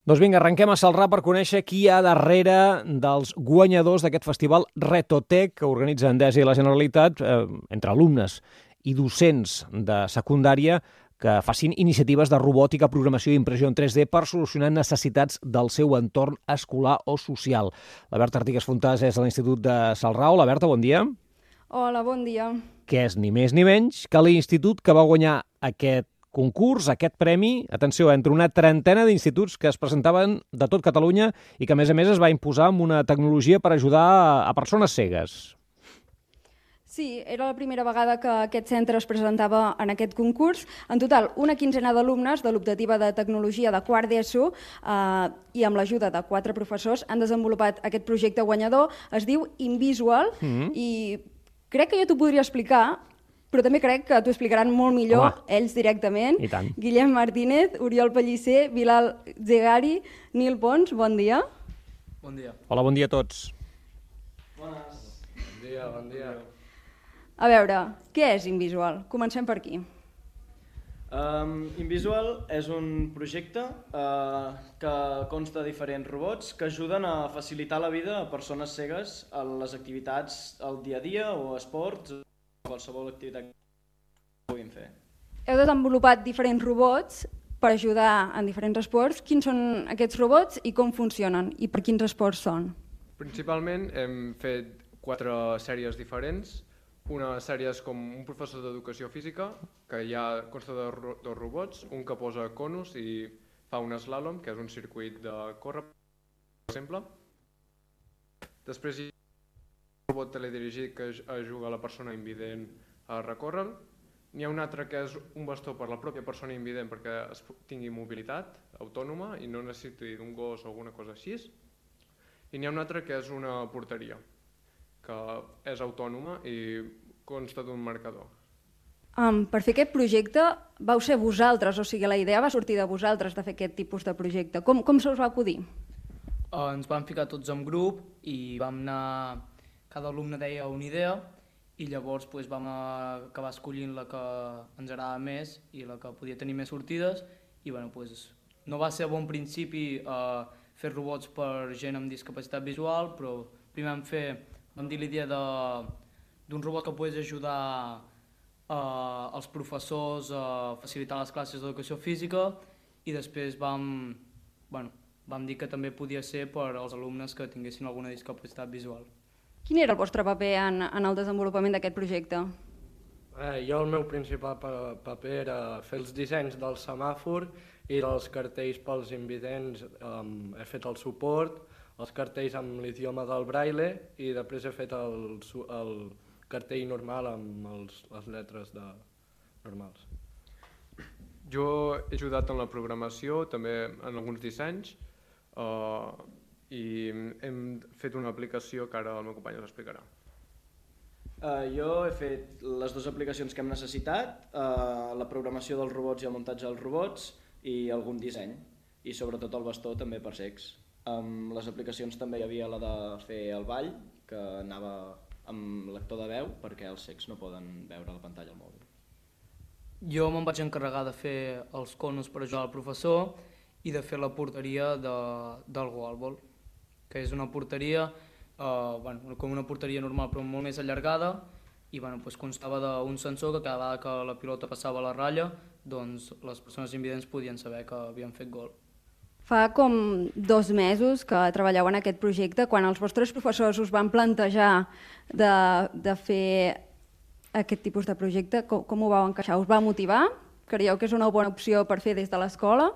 Doncs vinga, arrenquem a Celrà per conèixer qui hi ha darrere dels guanyadors d'aquest festival Retotec que organitza Endesa i la Generalitat entre alumnes i docents de secundària que facin iniciatives de robòtica, programació i impressió en 3D per solucionar necessitats del seu entorn escolar o social. La Berta Artigas Fontàs és de l'Institut de Celrà. Hola, Berta, bon dia. Hola, bon dia. Que és ni més ni menys que l'institut que va guanyar aquest concurs, aquest premi, atenció, entre una trentena d'instituts que es presentaven de tot Catalunya i que, a més es va imposar amb una tecnologia per ajudar a persones cegues. Sí, era la primera vegada que aquest centre es presentava en aquest concurs. En total, una quinzena d'alumnes de l'optativa de tecnologia de quart d'ESO i amb l'ajuda de 4 professors han desenvolupat aquest projecte guanyador. Es diu Invisual i crec que jo t'ho podria explicar, però també crec que t'ho explicaran molt millor ells directament. I tant. Guillem Martínez, Oriol Pellicer, Bilal Zegari, Nil Pons, bon dia. Bon dia. Hola, bon dia a tots. Bones. Bon dia. A veure, què és Invisual? Comencem per aquí. Invisual és un projecte que consta de diferents robots que ajuden a facilitar la vida a persones cegues a les activitats al dia a dia o esports, qualsevol activitat que puguin fer. Heu desenvolupat diferents robots per ajudar en diferents esports. Quins són aquests robots i com funcionen i per quins esports són? Principalment hem fet 4 sèries diferents. Una sèrie és com un professor d'educació física, que ja consta de 2 robots, un que posa conos i fa un slalom, que és un circuit de córrer, per exemple. Després hi ha un robot teledirigit que ajuda a la persona invident a recórrer. N'hi ha un altre que és un bastó per la pròpia persona invident perquè tingui mobilitat autònoma i no necessiti d'un gos o alguna cosa així. I n'hi ha un altre que és una porteria, que és autònoma i consta d'un marcador. Per fer aquest projecte vau ser vosaltres, o sigui, la idea va sortir de vosaltres de fer aquest tipus de projecte. Com se us va acudir? Ens vam ficar tots en grup i vam anar... Cada alumne deia una idea i llavors vam acabar escollint la que ens agradava més i la que podia tenir més sortides i no va ser a bon principi fer robots per gent amb discapacitat visual, però primer vam dir l'idea d'un robot que pogués ajudar els professors a facilitar les classes d'educació física i després vam dir que també podia ser per als alumnes que tinguessin alguna discapacitat visual. Quin era el vostre paper en el desenvolupament d'aquest projecte? Jo el meu principal paper era fer els dissenys del semàfor i dels cartells pels invidents. He fet el suport, els cartells amb l'idioma del braille i després he fet el cartell normal amb les lletres normals. Jo he ajudat en la programació, també en alguns dissenys, i hem fet una aplicació que ara el meu company us explicarà. Jo he fet les 2 aplicacions que hem necessitat, la programació dels robots i el muntatge dels robots i algun disseny, i sobretot el bastó també per cecs. Amb les aplicacions també hi havia la de fer el ball, que anava amb lector de veu perquè els cecs no poden veure la pantalla al mòbil. Jo me'n vaig encarregar de fer els conos per ajudar al professor i de fer la porteria del goalball, que és una porteria, com una porteria normal però molt més allargada i constava d'un sensor que cada vegada que la pilota passava la ratlla doncs les persones invidents podien saber que havien fet gol. Fa com 2 mesos que treballeu en aquest projecte. Quan els vostres professors us van plantejar de fer aquest tipus de projecte, com ho vau encaixar? Us va motivar? Creieu que és una bona opció per fer des de l'escola?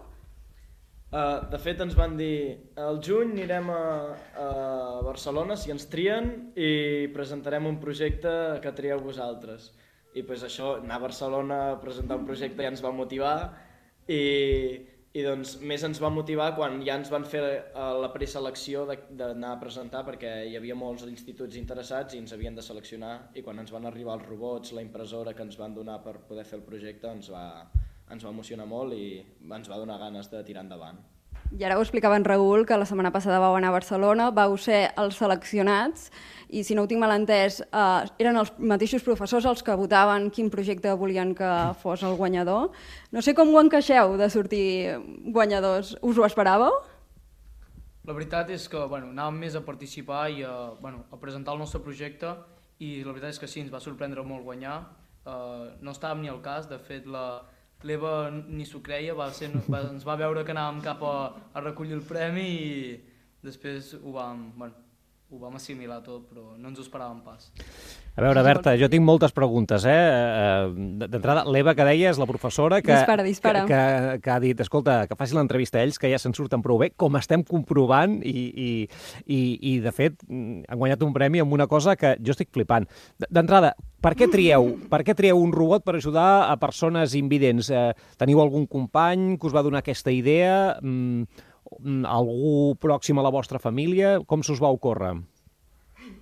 De fet, ens van dir al juny anirem a Barcelona si ens trien i presentarem un projecte que trieu vosaltres. I això, anar a Barcelona a presentar un projecte ja ens va motivar i doncs més ens va motivar quan ja ens van fer la preselecció d'anar a presentar perquè hi havia molts instituts interessats i ens havien de seleccionar i quan ens van arribar els robots, la impressora que ens van donar per poder fer el projecte ens va emocionar molt i ens va donar ganes de tirar endavant. I ara ho explicava en Raül, que la setmana passada vau anar a Barcelona, vau ser els seleccionats i, si no ho tinc mal entès, eren els mateixos professors els que votaven quin projecte volien que fos el guanyador. No sé com ho encaixeu de sortir guanyadors. Us ho esperàveu? La veritat és que anàvem més a participar i a presentar el nostre projecte, i la veritat és que sí, ens va sorprendre molt guanyar. No estàvem ni al cas, de fet l'Eva ni s'ho creia, ens va veure que anàvem cap a recollir el premi i després ho vam assimilar tot, però no ens ho esperàvem pas. A veure, Berta, jo tinc moltes preguntes, D'entrada, l'Eva, que deia, és la professora que ha dit, escolta, que faci l'entrevista a ells, que ja se'n surten prou bé, com estem comprovant, i de fet, han guanyat un premi amb una cosa que jo estic flipant. D'entrada, per què trieu un robot per ajudar a persones invidents? Teniu algun company que us va donar aquesta idea? Algú pròxim a la vostra família? Com s'us va ocórrer?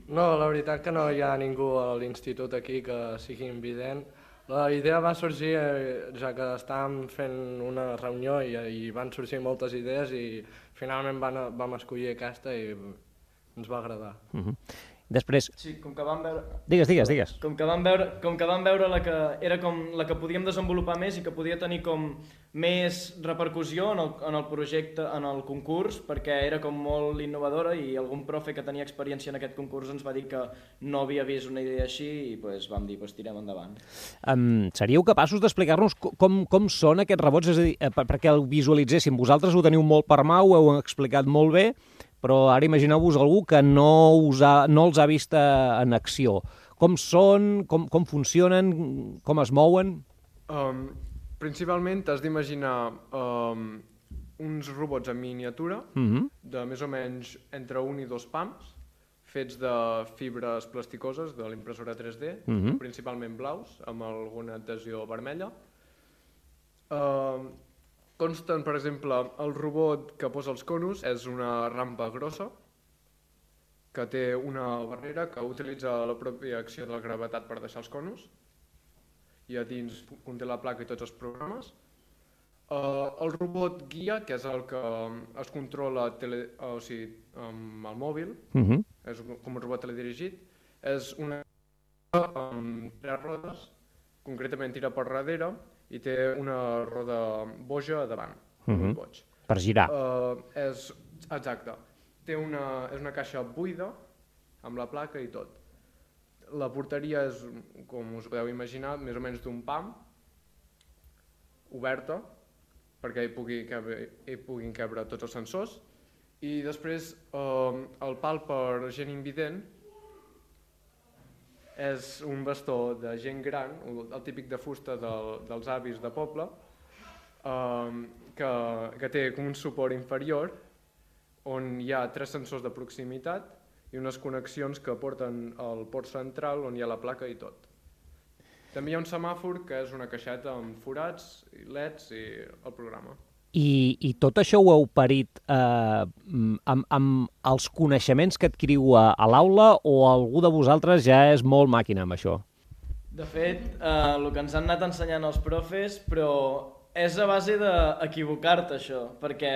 No, la veritat que no hi ha ningú a l'institut aquí que sigui invident. La idea va sorgir ja que estàvem fent una reunió i van sorgir moltes idees i finalment vam escollir aquesta i ens va agradar. Després... Sí, com que vam veure... Digues. Com que vam veure la que era com la que podíem desenvolupar més i que podia tenir com més repercussió en el projecte, en el concurs, perquè era com molt innovadora i algun profe que tenia experiència en aquest concurs ens va dir que no havia vist una idea així i vam dir, tirem endavant. Seríeu capaços d'explicar-nos com són aquests robots? És a dir, perquè el visualitzéssim. Vosaltres ho teniu molt per mà, ho heu explicat molt bé, però ara imagineu-vos algú que no els ha vist en acció. Com són, com funcionen, com es mouen? Principalment t'has d'imaginar uns robots en miniatura, de més o menys entre 1 i 2 pams, fets de fibres plasticoses de l'impressora 3D, principalment blaus, amb alguna adhesió vermella. Consten, per exemple, el robot que posa els conos és una rampa grossa que té una barrera que utilitza la pròpia acció de la gravetat per deixar els conos i a dins conté la placa i tots els programes. El robot guia, que és el que es controla amb el mòbil, és com un robot teledirigit, és una amb 3 rodes, concretament tira per darrere, i té una roda boja a davant, boig. Per girar. Exacte. És una caixa buida, amb la placa i tot. La porteria és, com us podeu imaginar, més o menys d'un pam, oberta, perquè hi puguin cabre tots els sensors, i després el pal per gent invident és un bastó de gent gran, el típic de fusta dels avis de poble, que té com un suport inferior on hi ha 3 sensors de proximitat i unes connexions que porten al port central on hi ha la placa i tot. També hi ha un semàfor que és una caixeta amb forats, leds i el programa. I tot això ho heu parit amb els coneixements que adquiriu a l'aula o algú de vosaltres ja és molt màquina amb això? De fet, el que ens han anat ensenyant els profes, però és a base d'equivocar-te això, perquè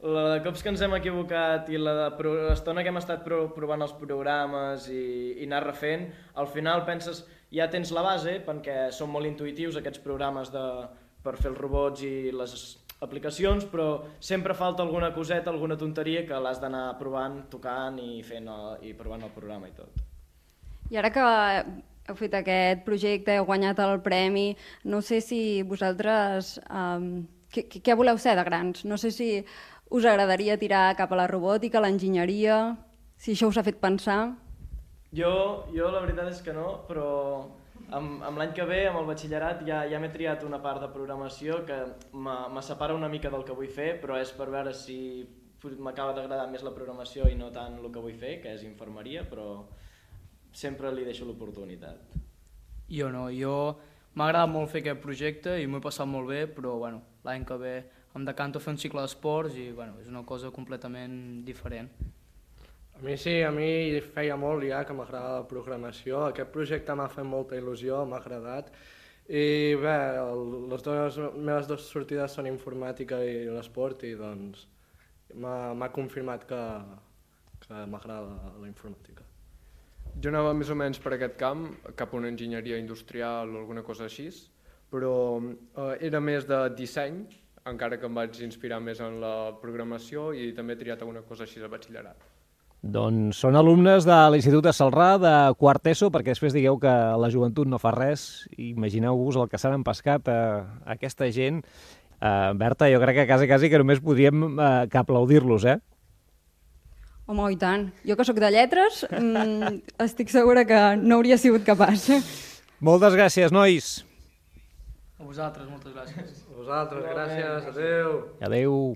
la de cops que ens hem equivocat i l'estona que hem estat provant els programes i anar refent, al final penses, ja tens la base, perquè són molt intuïtius aquests programes per fer els robots i les aplicacions, però sempre falta alguna coseta, alguna tonteria que l'has d'anar provant, tocant i provant el programa i tot. I ara que heu fet aquest projecte, heu guanyat el premi, no sé si vosaltres... Què voleu ser de grans? No sé si us agradaria tirar cap a la robòtica, l'enginyeria, si això us ha fet pensar. Jo la veritat és que no, però amb l'any que ve, amb el batxillerat, ja m'he triat una part de programació que me separa una mica del que vull fer, però és per veure si m'acaba d'agradar més la programació i no tant el que vull fer, que és infermeria, però sempre li deixo l'oportunitat. Jo no, m'ha agradat molt fer aquest projecte i m'ho he passat molt bé, però l'any que ve em decanto a fer un cicle d'esports i és una cosa completament diferent. A mi sí, a mi feia molt ja que m'agrada la programació. Aquest projecte m'ha fet molta il·lusió, m'ha agradat. I bé, les meves dues sortides són informàtica i l'esport i doncs m'ha confirmat que m'agrada la informàtica. Jo anava més o menys per aquest camp, cap a una enginyeria industrial o alguna cosa així, però era més de disseny, encara que em vaig inspirar més en la programació i també he triat alguna cosa així de batxillerat. Doncs són alumnes de l'Institut de Celrà de quart ESO, perquè després digueu que la joventut no fa res. Imagineu-vos el que s'han empescat aquesta gent. Berta, jo crec que quasi que només podríem que aplaudir-los, eh? Home, i tant. Jo que sóc de lletres, estic segura que no hauria sigut capaç. Moltes gràcies, nois. A vosaltres, moltes gràcies. A vosaltres, gràcies, adeu. Adeu.